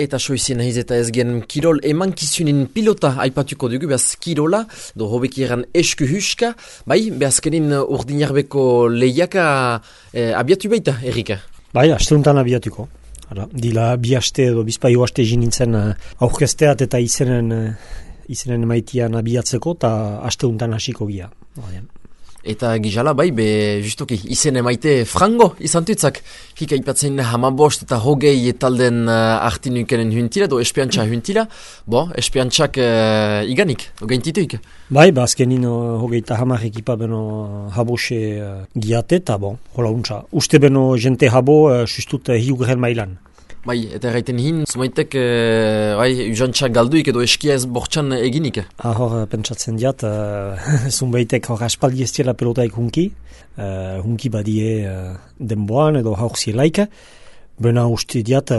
Eta soizien nahiz eta ez gen kirol emankizunin pilota aipatuko dugu, behaz kirola, do hobeki eran esku huska, bai, behazkenin urdinarbeko lehiaka abiatu baita, Erika? Bai, asteuntan abiatuko. Dila bi aste edo bizpaio aste nintzen aurkesteat eta izenen maitian abiatzeko, eta asteuntan hasiko gia. Eta gizala, bai, justoki, izen emaite frango izan tutzak. Hika ipatzen hamabost eta hogei talden artinukenen huntila, do espiantxa huntila. Espiantxak iganik, gaintituik. Bai, azkenin hogei eta hamar ekipa beno habose giate, eta hola untsa. Uste beno jente habo, sustut hiugren mailan. Bai, eta erraiten hin, zumaitek, usantxak galduik edo eskia ez bortxan eginik. Hor, pentsatzen diat, zunbaitek hor aspaldi ez diela pelotaik hunki badie denboan edo haur zielaik. Bena uste diat,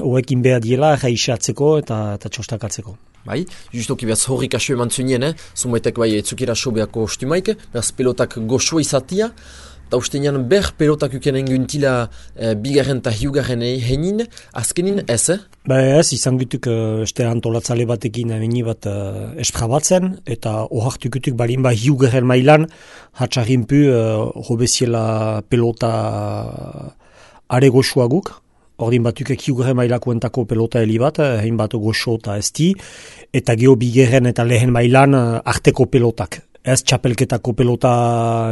hoekin behar diela jaisatzeko eta txostakatzeko. Bai, justoki behaz horrik aso eman zunien, zunbaitek bai etzukira aso behako ostumaik, behaz pelotak goxoa izatia, eta ustean ber pelotak ukenen guntila bigarren eta hiugarren heinin, azkenin ez? Ez, izan gutuk este antolatzale batekin meni bat esprabatzen, eta ohartukutuk balin hiugarren mailan hatxarrinpu hobeziela pelota are goxoaguk. Ordin batukek hiugarren mailakoentako pelota heli bat, hein bat goxo eta esti, eta geho bigarren eta lehen mailan arteko pelotak. Ez txapelketako pelota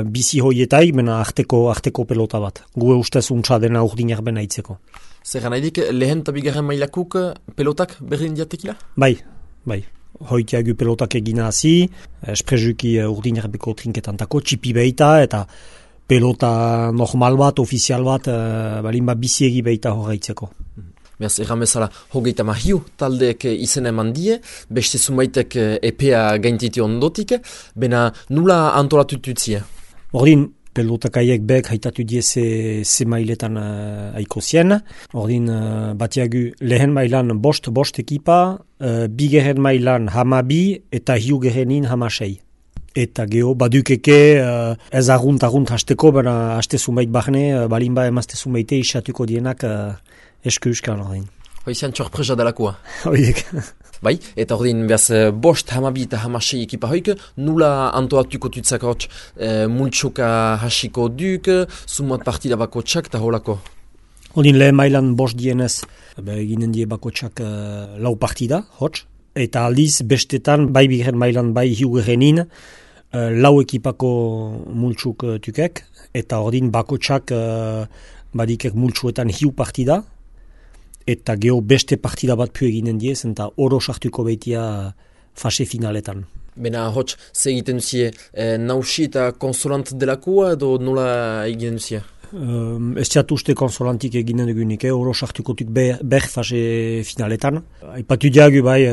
bizi hoietai, mena arteko pelota bat. Gue ustez untsa dena urdinak bena itzeko. Zer gana edik, lehen eta bigarren mailakuk pelotak berdin diatekila? Bai. Hoitiagu pelotak egina hazi, esprezuki urdinak beko trinketantako, txipi behita, eta pelota normal bat, ofizial bat, balin bizi egi behita horreitzeko. Beaz, erramezala, hogeita mahiu taldeek izen eman die, beste zumaitek epea gaintiti ondotik, bena nula antolatututzie? Ordin, pelotakaiek bek haitatu die ze mailetan aiko zien. Ordin, batiagu lehen mailan bost ekipa, bigarren mailan hamabi eta hiugarrenin hamasei. Eta geho, badukeke ez argunt hasteko, bena haste zumait bahne, balinba emazte zumaite isatuko dienak esku euskal ordin. Hoizan txorpresa delakoa. Hoiek. Bai, eta ordin behaz bost hamabi eta hamasei ekipa hoik, nula antolatuko tutzak hotx multsoka hasiko duk, sumat partida bako txak eta holako? Ordin lehen mailan bost dienez, eginen die bako txak lau partida, hotx. Eta aldiz bestetan, bai bigarren mailan bai hiugarrenin, lau ekipako multsuk tukek, eta ordin bako txak badikek multsuetan hiu partida, eta geho beste partida bat pu eginen diez, eta oro sartuko behitia fase finaletan. Bena hotx, ze egiten duzie, nausi eta konsolant delakoa edo nola egiten duzie? Ez diat uste konsolantik eginen dugunik, oro sartukotuk ber fase finaletan. Aipatu diagu bai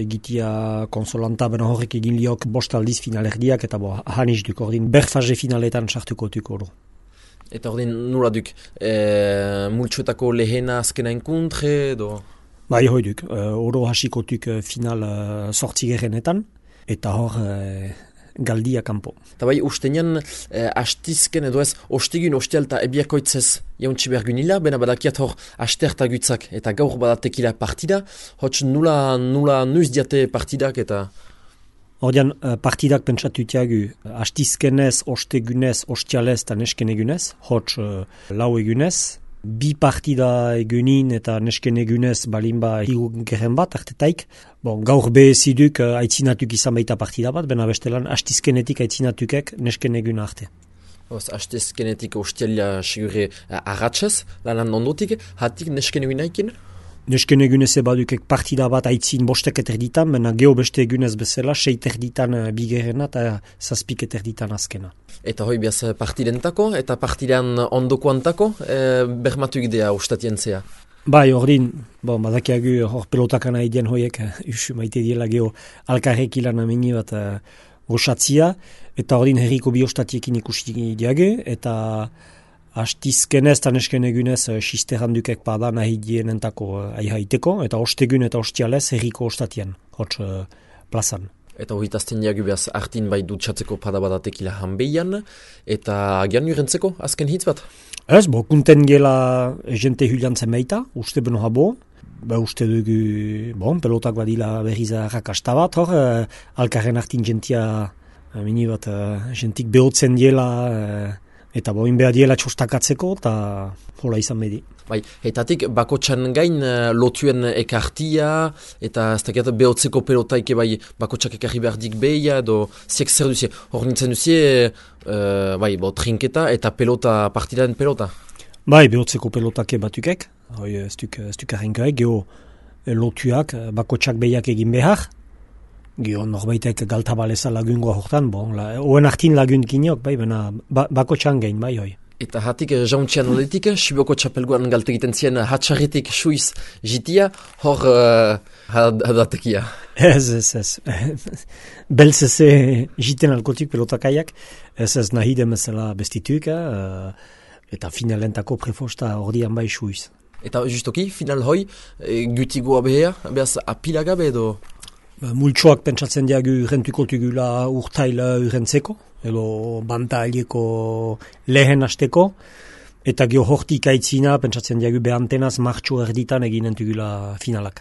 egitia konsolanta, bena horrek egin liok bost aldiz finalerdiak, eta haniz duk ordin ber fase finaletan sartukotuk oro. Eta ordin nola duk, multsuetako lehena azkena enkuntre edo? Bai hoi duk, oro hasikotuk final sortzigerenetan, eta hor galdia kanpo. Eta bai, ustenean astizken edo ez, ostegun ostealta ebiakoitzez jauntsi bergunila, bena badakiat hor astertagutzak eta gaur badatekila partida, hotz nula nuiz diate partidak eta... Ordean, partidak pentsatutiagu astizkenez, ostegunez, ostialez eta nesken egunez, hotz lau egunez, bi partida egunin eta nesken egunez balinba hiugeren bat artetaik. Gaur beheziduk aitzinatuk izan baita partida bat, bena bestelan astizkenetik aitzinatukek nesken egun arte. Astizkenetik ostialia sigure arratxez, lanan ondotik, hatik nesken egunaikin? Nesken egunez badukek partida bat aitzin bostek eterditan, mena geho beste egunez bezala, 6 terditan bigerena eta 7 terditan azkena. Eta hoi behaz partidentako eta partidan ondokoantako bermatu idea ustatien zea? Bai, ordin, badakiagu hor pelotakana idien hoiek, usu maite diela geho alkarrek ilan ameni bat goxatzia, eta ordin herriko bi ostatiekin ikusi diage, eta astizkenez eta nesken egunez sisterandukek pada nahi dienentako aihaiteko, eta ostegun eta ostialez herriko ostatien, hotz plazan. Eta horitazten diagu behaz artin bai dutxatzeko padabadatekila hanbeian, eta agian urentzeko azken hitz bat? Ez, kunten gela jente huliantzen meita, uste beno habo, uste dugu, pelotak badila berriz arrakasta bat, hor, alkarren artin jentia, mini bat, jentik behotzen diela, eta boin behar diela txostakatzeko, eta hola izan bedi. Bai, etatik bakotxan gain lotuen ekartia, eta ez dakit behotzeko pelotaike bai bakotxak ekarri behar dik behia, edo ziek zer duzie, hor nintzen duzie, trinketa eta pelota, partidaen pelota. Bai, behotzeko pelotake batukek, ez duk arrenkoek, geho lotuak, bakotxak behiak egin behar, geho norbaitek galtabaleza lagungoa hortan, oen artin lagun kinok, bai, bena bakotxan gain, bai, hoi. Eta hatik jauntxean oletik, Siboko txapelguan galte egiten zien hatxarritik suiz jitia, hor hadatekia. Ez. Belzeze jiten alkotik pelotakaiak, ez nahi demezela bestituik, eta finalentako prefosta ordian bai suiz. Eta justoki, final hoi, gutigoa behea, behaz apilagabe edo? Multsoak pentsatzen diagu urrentuko tugula urtaila urrentzeko, edo bantaileko lehen hasteko, eta geho hortik aitzina pentsatzen diagu behantenaz martxo erditan eginen tugula finalak.